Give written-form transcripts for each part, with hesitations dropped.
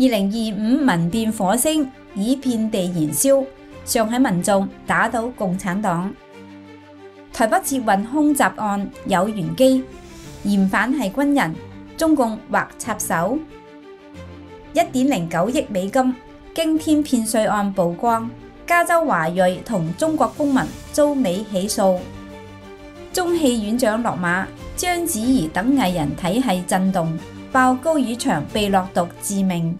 2025民變火星已遍地燃燒，上海民眾打倒共產黨。台北捷運空襲案有玄機，嫌犯係軍人，中共或插手。1.09億美金驚天騙稅案曝光，加州華裔同中國公民遭美起訴。中戲院長落馬，章子怡等藝人體系震動，爆高宇翔被落毒致命。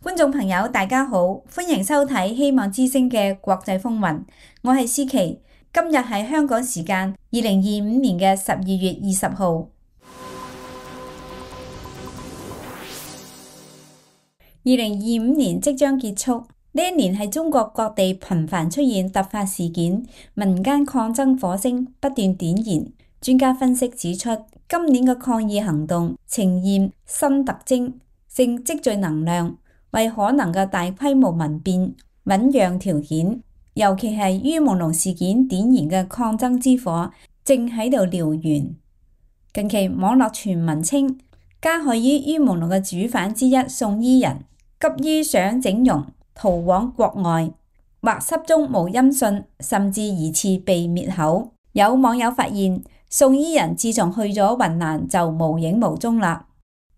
觀眾朋友大家好，歡迎收睇希望之聲嘅國際風雲，我係思琪。今日係香港時間2025年嘅12月20號。2025年即將結束，呢一年係中國各地頻繁出現突發事件，民間抗爭火星不斷點燃。專家分析指出，今年嘅抗議行動呈現新特徵，正積聚能量，為可能嘅大規模民變醞釀條件。尤其係於朦朧事件點燃嘅抗爭之火正喺度燎原。近期網絡傳聞稱，加害於朦朧嘅主犯之一宋伊人急於想整容逃往國外，或失蹤無音訊，甚至疑似被滅口。有網友發現，宋伊人自從去咗雲南就無影無蹤啦。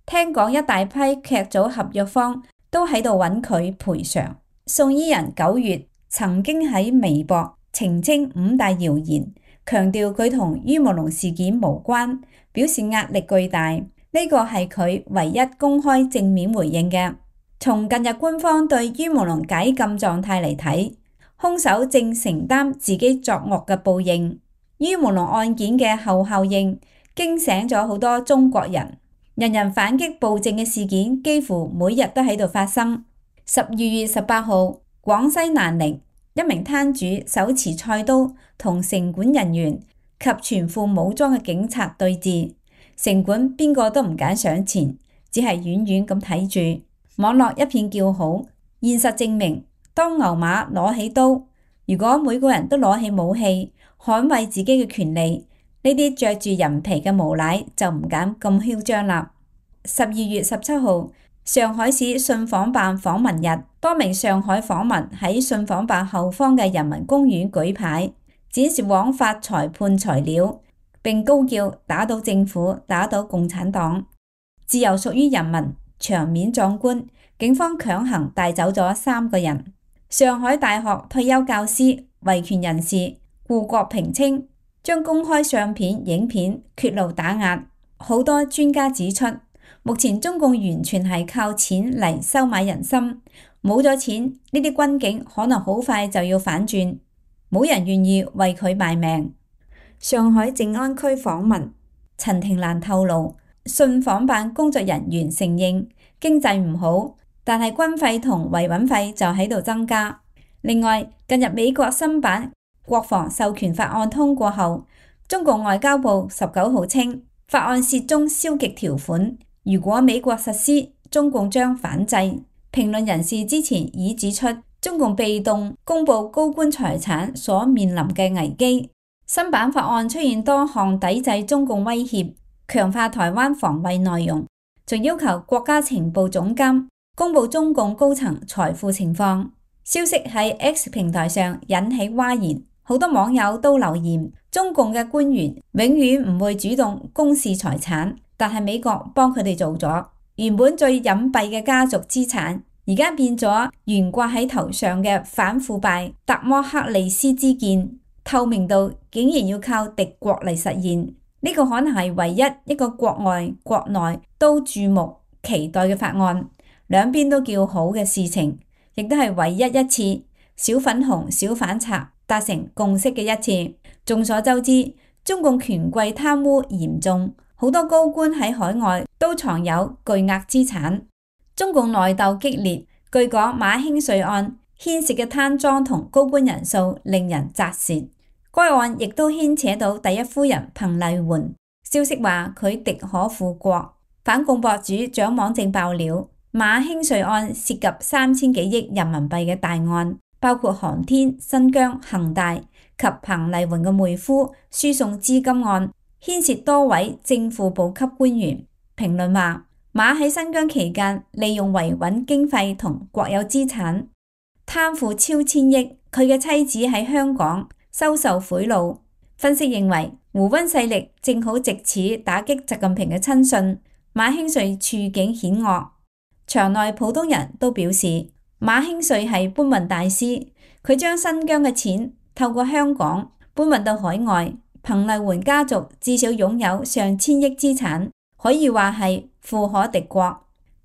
聽講一大批劇組合約方都喺度揾佢賠償。宋伊人9月曾經喺微博澄清5大謠言，強調佢同於朦朧事件無關，表示壓力巨大。呢個係佢唯一公開正面回應嘅。從近日官方對於朦朧解禁狀態嚟睇，兇手正承擔自己作惡嘅報應。於朦朧案件嘅後效應驚醒咗好多中國人，人人反擊暴政嘅事件幾乎每日都喺度發生。12月18號，廣西南寧一名攤主手持菜刀同城管人員及全副武裝嘅警察對峙，城管邊個都唔敢上前，只係遠遠咁睇住。網絡一片叫好。現實證明，當牛馬攞起刀，如果每個人都攞起武器捍衛自己嘅權利，呢啲着住人皮嘅無賴就唔敢咁囂張啦。12月17號，上海市信訪辦訪問日，多名上海訪民喺信訪辦後方嘅人民公園舉牌，展示枉法裁判材料，並高叫打倒政府，打倒共產黨，自由屬於人民，場面壯觀。警方強行帶走咗3個人。上海大學退休教師、維權人士顧國平稱，將公開相片、影片揭露打壓。好多專家指出，目前中共完全係靠錢嚟收買人心，冇咗錢，呢啲軍警可能好快就要反轉，冇人願意為佢賣命。上海靜安區訪民陳庭蘭透露，信訪辦工作人員承認經濟唔好，但係軍費同維穩費就喺度增加。另外，近日美國新版國防授權法案通過後，中共外交部19號稱，法案涉中消極條款，如果美國實施，中共將反制。評論人士之前已指出，中共被動公布高官財產所面臨嘅危機。新版法案出現多項抵制中共威脅、強化台灣防衛內容，仲要求國家情報總監公布中共高層財富情況。消息喺 X 平台上引起譁然，好多網友都留言：中共嘅官員永遠唔會主動公示財產，但係美國幫佢哋做咗。原本最隱蔽嘅家族資產，而家變咗懸掛喺頭上嘅反腐敗達摩克利斯之劍，透明度竟然要靠敵國嚟實現。呢個可能係唯一一個國外國內都注目期待嘅法案，兩邊都叫好嘅事情，亦都係唯一一次小粉紅小反賊達成共識嘅一次。眾所周知，中共權貴貪污嚴重，好多高官喺海外都藏有巨額資產。中共內鬥激烈，據講馬興瑞案牽涉嘅貪贓同高官人數令人咋舌。該案亦都牽扯到第一夫人彭麗媛，消息話佢敵可復國。反共博主蔣網正爆料，馬興瑞案涉及3000幾億人民幣嘅大案，包括航天、新疆、恒大及彭麗媛嘅妹夫輸送資金案，牽涉多位正副部級官員。評論話，馬喺新疆期間利用維穩經費同國有資產，貪腐超千億。佢嘅妻子喺香港收受賄賂。分析認為，胡溫勢力正好藉此打擊習近平嘅親信。馬興瑞處境險惡，場內普通人都表示馬興瑞係搬運大師，佢將新疆嘅錢透過香港搬運到海外。彭麗媛家族至少擁有上千億資產，可以話係富可敵國。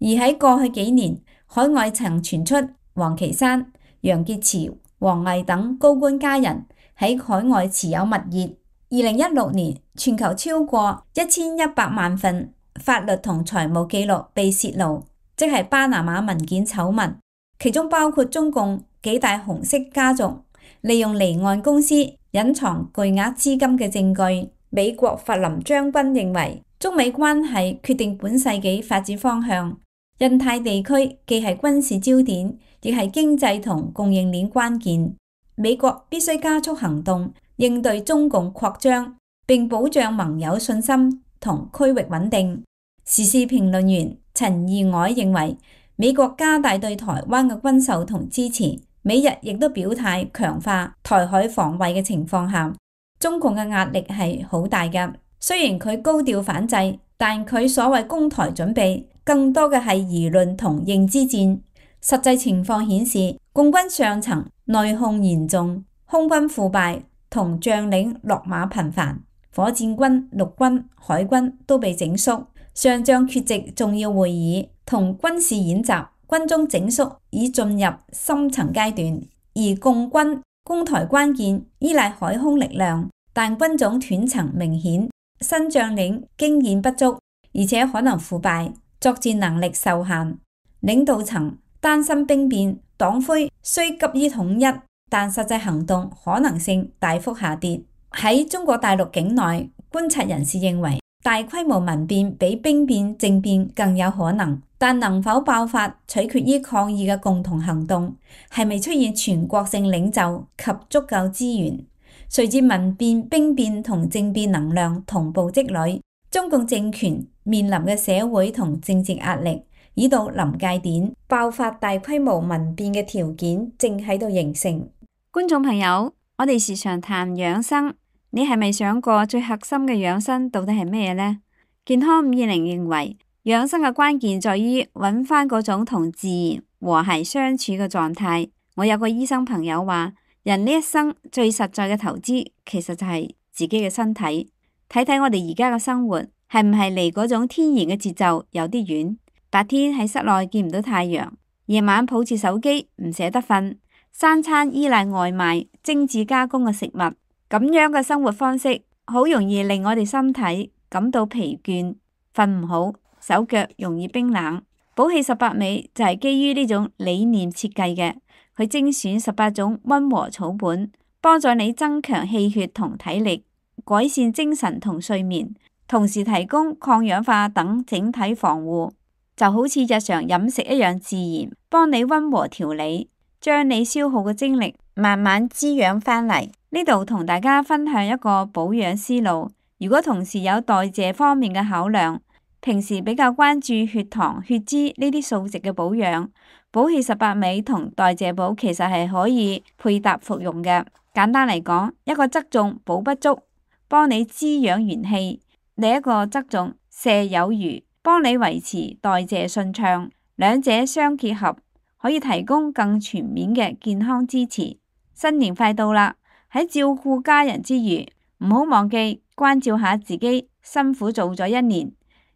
而喺過去幾年，海外曾傳出王岐山、楊潔篪、王毅等高官家人喺海外持有物業。2016年，全球超過1100萬份法律同財務記錄被泄露，即係巴拿馬文件醜聞，其中包括中共幾大紅色家族利用離岸公司隱藏巨額資金嘅證據。美國弗林將軍認為，中美關係決定本世紀發展方向。印太地區既係軍事焦點，亦係經濟同供應鏈關鍵。美國必須加速行動，應對中共擴張，並保障盟友信心同區域穩定。時事評論員陳義藹認為，美國加大對台灣嘅軍售同支持，美日亦都表態強化台海防衛嘅情況下，中共嘅壓力係好大㗎。雖然佢高調反制，但佢所謂攻台準備更多嘅係輿論同認知戰。實際情況顯示，共軍上層內訌嚴重，空軍腐敗同將領落馬頻繁，火箭軍、陸軍、海軍都被整肅，上將缺席重要會議同軍事演習，軍中整肅已進入深層階段。而共軍攻台關鍵依賴海空力量，但軍種斷層明顯，新將領經驗不足，而且可能腐敗，作戰能力受限。領導層擔心兵變，黨魁雖急於統一，但實際行動可能性大幅下跌。喺中國大陸境內，觀察人士認為，大規模民變比兵變政變更有可能，但能否爆發取決於抗議嘅共同行動，係咪出現全國性領袖及足夠資源。隨住民變、兵變同政變能量同步積累，中共政權面臨嘅社會同政治壓力已到臨界點，爆發大規模民變嘅條件正喺度形成。觀眾朋友，我哋時常談養生，你係咪想過最核心嘅養生到底係咩呢？健康520認為，養生嘅關鍵在於揾翻嗰種同自然和諧相處嘅狀態。我有個醫生朋友話，人呢一生最實在嘅投資，其實就係自己嘅身體。睇睇我哋而家嘅生活，係唔係離嗰種天然嘅節奏有啲遠？白天喺室內見唔到太陽，夜晚抱住手機唔捨得瞓，三餐依賴外賣、精緻加工嘅食物，咁樣嘅生活方式，好容易令我哋身體感到疲倦、瞓唔好、手腳容易冰冷。寶氣18味就係基於呢種理念設計嘅，佢精選18種溫和草本，幫助你增強氣血同體力，改善精神同睡眠，同時提供抗氧化等整體防護。就好似日常飲食一樣自然，幫你溫和調理，將你消耗嘅精力慢慢滋養返嚟。呢度同大家分享一個保養思路。如果同時有代謝方面嘅考量，平時比較關注血糖、血脂呢啲數值嘅保養，寶氣18味同代謝寶其實係可以配搭服用嘅。簡單嚟講，一個側重補不足，幫你滋養元氣；另一個側重瀉有餘，幫你維持代謝順暢，兩者相結合，可以提供更全面嘅健康支持。新年快到啦，喺照顧家人之餘，唔好忘記關照下自己，辛苦做咗1年，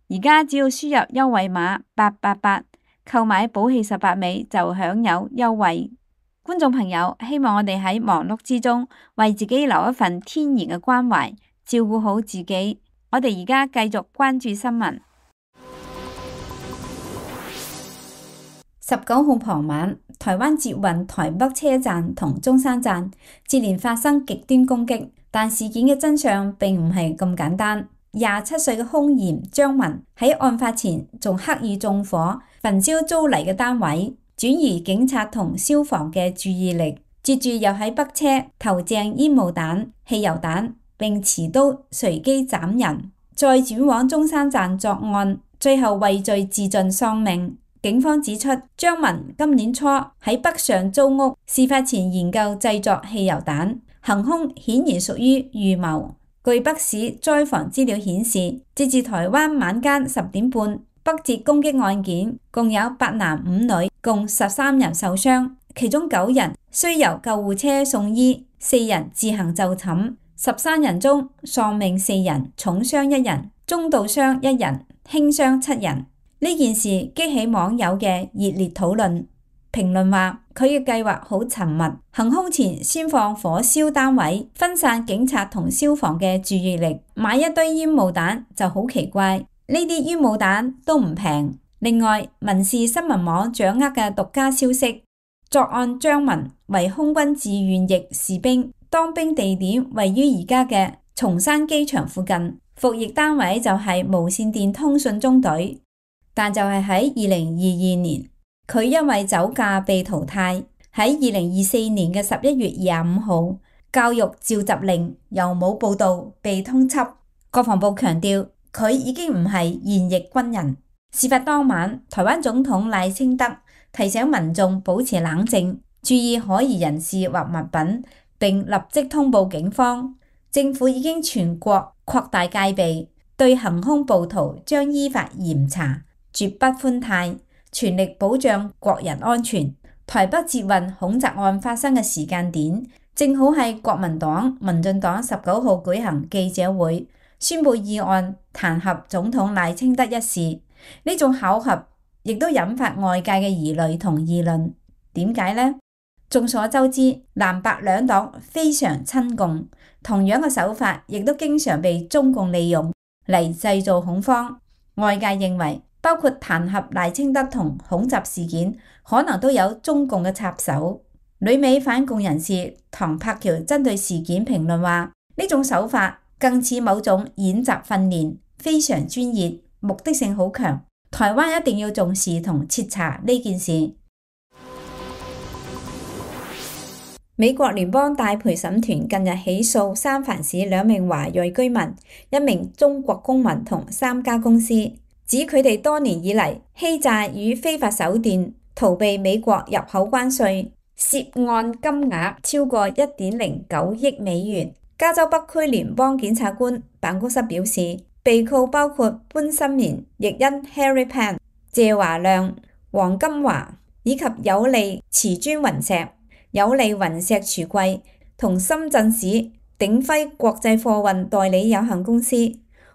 而家只要輸入優惠碼888，購買寶氣18味就享有優惠。觀眾朋友，希望我哋喺忙碌之中，為自己留一份天然嘅關懷，照顧好自己。我哋而家繼續關注新聞。19號傍晚，台灣捷運台北車站同中山站接連發生極端攻擊，但事件嘅真相並唔係咁簡單。27歲嘅兇嫌張文喺案發前仲刻意縱火焚燒租嚟嘅單位，轉移警察同消防嘅注意力，接住又喺北車投擲煙霧彈、汽油彈，並持刀隨機斬人，再轉往中山站作案，最後畏罪自盡喪命。警方指出，張文今年初喺北上租屋，事發前研究製作汽油彈，行兇顯然屬於預謀。據北市災防資料顯示，截至台灣晚間10點半，北捷攻擊案件共有8男5女，共13人受傷，其中9人需由救護車送醫，4人自行就診。13人中喪命4人，重傷1人，中度傷1人，輕傷7人。呢件事激起網友嘅熱烈討論。評論話佢嘅計劃好尋密，行兇前先放火燒單位，分散警察同消防嘅注意力，買一堆煙霧彈就好奇怪。呢啲煙霧彈都唔平。另外，民視新聞網掌握嘅獨家消息，作案張文為空軍志願役士兵，當兵地點位於而家嘅松山機場附近，服役單位就係無線電通訊中隊。但就係喺2022年，佢因為酒駕被淘汰。喺2024年嘅11月25號，教育召集令由冇報導被通緝。國防部強調佢已經唔係現役軍人。事發當晚，台灣總統賴清德提醒民眾保持冷靜，注意可疑人士或物品，並立即通報警方。政府已經全國擴大戒備，對行兇暴徒將依法嚴查，絕不寬貸，全力保障國人安全。台北捷運恐襲案發生嘅時間點，正好係國民黨、民進黨19號舉行記者會，宣佈議案彈劾總統賴清德一事。呢種巧合亦都引發外界嘅疑慮同議論。點解呢？眾所周知，藍白兩黨非常親共，同樣嘅手法亦都經常被中共利用嚟製造恐慌。外界認為，包括彈劾賴清德同恐襲事件，可能都有中共嘅插手。旅美反共人士唐柏橋針對事件評論話：呢種手法更似某種演習訓練，非常專業，目的性好強。台灣一定要重視同徹查呢件事。美國聯邦大陪審團近日起訴三藩市2名華裔居民、1名中國公民同3家公司，指佢哋多年以嚟欺詐與非法手段逃避美國入口關稅，涉案金額超過1.09億美元。加州北區聯邦檢察官辦公室表示，被告包括潘心妍、譯音 Harry Pan、謝華亮、黃金華以及有利瓷磚雲石、有利雲石櫥櫃同深圳市鼎輝國際貨運代理有限公司。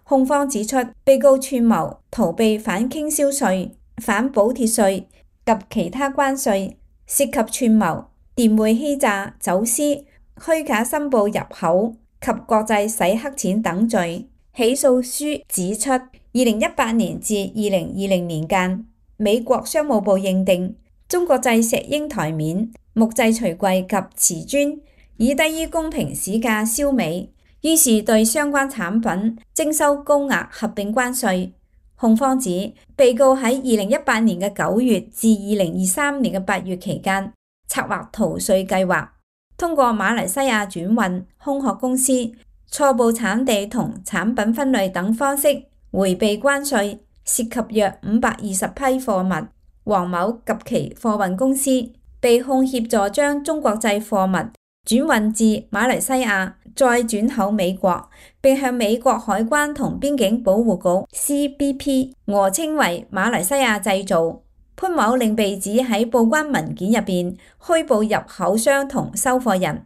控方指出，被告串謀逃避反傾銷稅、反補貼稅及其他關稅，涉及串謀、電匯欺詐、走私、虛假申報入口及國際洗黑錢等罪。起訴書指出，2018年至2020年間，美國商務部認定中國製石英台面、木製櫥櫃及瓷磚以低於公平市價銷美，於是對相關產品徵收高額合併關稅。控方指，被告喺2018年嘅9月至2023年嘅8月期間，策劃逃稅計劃，通過馬來西亞轉運、空殼公司、錯報產地同產品分類等方式迴避關稅，涉及約520批貨物。黃某及其貨運公司被控協助將中國製貨物轉運至馬來西亞，再轉口美國，並向美國海關同邊境保護局 CBP 訛稱為馬來西亞製造。潘某另被指喺報關文件入邊虛報入口商同收貨人，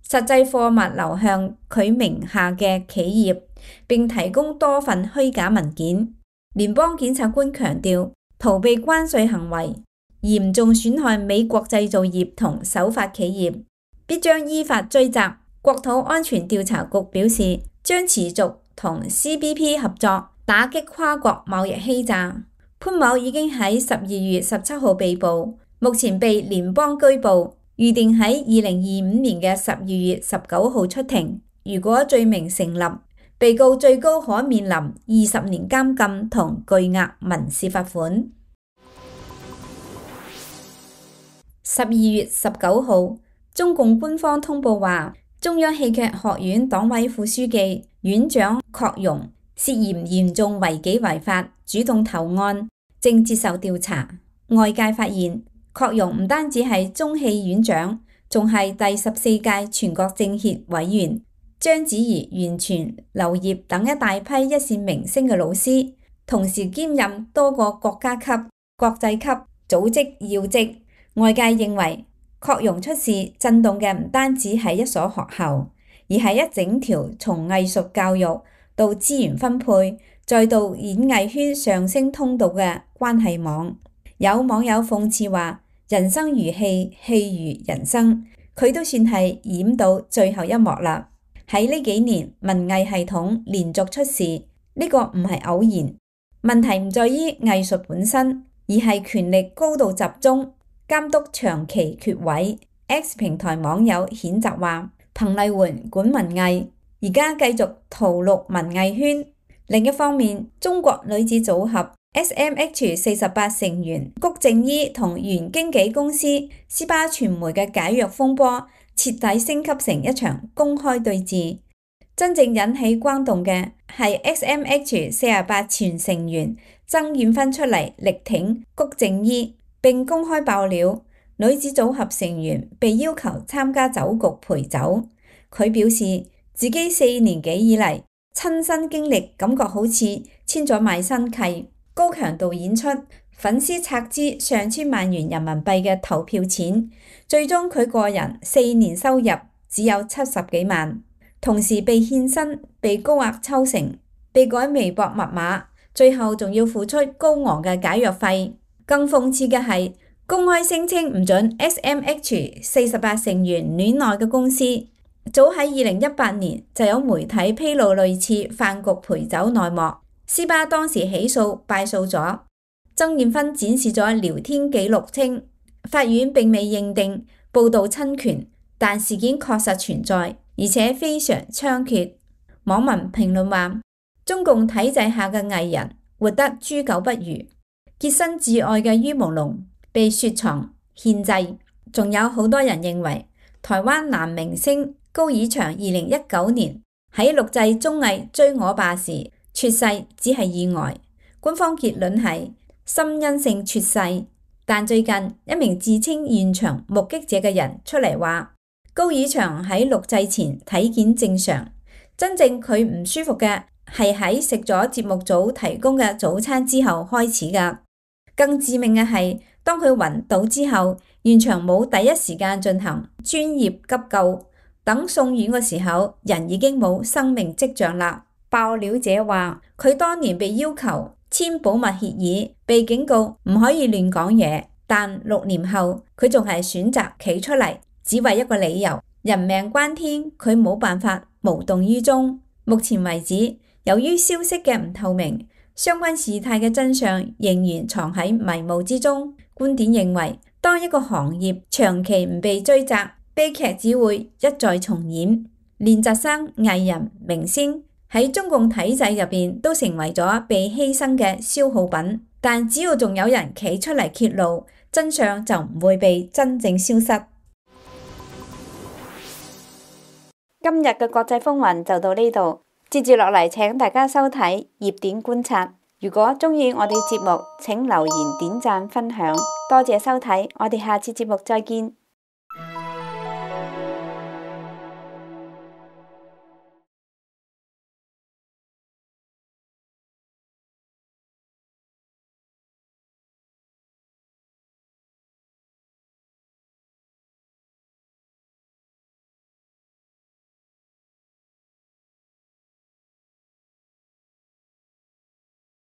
實際貨物流向佢名下嘅企業，並提供多份虛假文件。聯邦檢察官強調，逃避關稅行為嚴重損害美國製造業同守法企業，必將依法追責。國土安全調查局表示，將持續同 CBP 合作，打擊跨國貿易欺詐。潘某已經喺12月17號被捕，目前被聯邦拘捕，預定喺2025年嘅12月19號出庭。如果罪名成立，被告最高可面臨20年監禁同巨額民事罰款。12月19號，中共官方通報話，中央戲劇學院黨委副書記、院長郝容涉嫌嚴重違紀違法，主動投案，正接受調查。外界發現，郝容唔單止係中戲院長，仲係第14屆全國政協委員，章子怡、袁泉、劉燁等一大批一線明星嘅老師，同時兼任多個國家級、國際級組織要職。外界認為，郝容出事震動嘅唔單止係一所學校，而係一整條從藝術教育到資源分配，再到演藝圈上升通道嘅關係網。有網友諷刺話：人生如戲，戲如人生，佢都算係演到最後一幕啦。喺呢幾年，文藝系統連續出事，呢個唔係偶然。問題唔在於藝術本身，而係權力高度集中，監督長期缺位。X 平台網友譴責話：彭麗媛管文藝，而家繼續屠戮文藝圈。另一方面，中國女子組合 SMH48 成員谷靜伊同原經紀公司斯巴傳媒嘅解約風波，徹底升級成一場公開對峙。真正引起轟動嘅係 SMH48 全成員曾艷芬出嚟力挺谷靜伊，並公開爆料女子組合成員被要求參加酒局陪酒。佢表示自己4年幾以嚟親身經歷，感覺好似簽咗賣身契，高強度演出，粉絲拆支上千萬元人民幣嘅投票錢，最終佢個人4年收入只有70幾萬，同時被欠薪、被高額抽成、被改微博密碼，最後仲要付出高昂嘅解約費。更諷刺嘅係，公開聲稱唔准 SMH48 成員戀愛嘅公司，早喺2018年就有媒體披露類似飯局陪酒內幕。斯巴當時起訴敗訴咗，曾艷芬展示咗聊天記錄稱，法院並未認定報道侵權，但事件確實存在，而且非常猖獗。網民評論話：中共體制下嘅藝人活得豬狗不如，潔身自愛嘅於朦朧被雪藏獻祭。仲有好多人認為，台灣男明星高以翔2019年喺錄製綜藝《追我吧》時猝逝只係意外，官方結論係心因性猝逝。但最近一名自稱現場目擊者嘅人出嚟話，高以翔喺錄製前體檢正常，真正佢唔舒服嘅係喺食咗節目組提供嘅早餐之後開始㗎。更致命嘅係，當佢暈倒之後，現場冇第一時間進行專業急救，等送院嘅時候，人已經冇生命跡象啦。爆料者話，佢當年被要求簽保密協議，被警告唔可以亂講嘢，但6年後佢仲係選擇企出嚟，只為一個理由：人命關天，佢冇辦法無動於衷。目前為止，由於消息嘅唔透明，相關事態嘅真相仍然藏喺迷霧之中。觀點認為，當一個行業長期唔被追責，悲劇只會一再重演。練習生、藝人、明星喺中共體制入邊都成為咗被犧牲嘅消耗品，但只要仲有人企出嚟揭露，真相就唔會被真正消失。今日嘅國際風雲就到呢度，接住落嚟請大家收睇熱點觀察。如果鍾意我哋節目，請留言、點讚、分享，多謝收睇，我哋下次節目再見。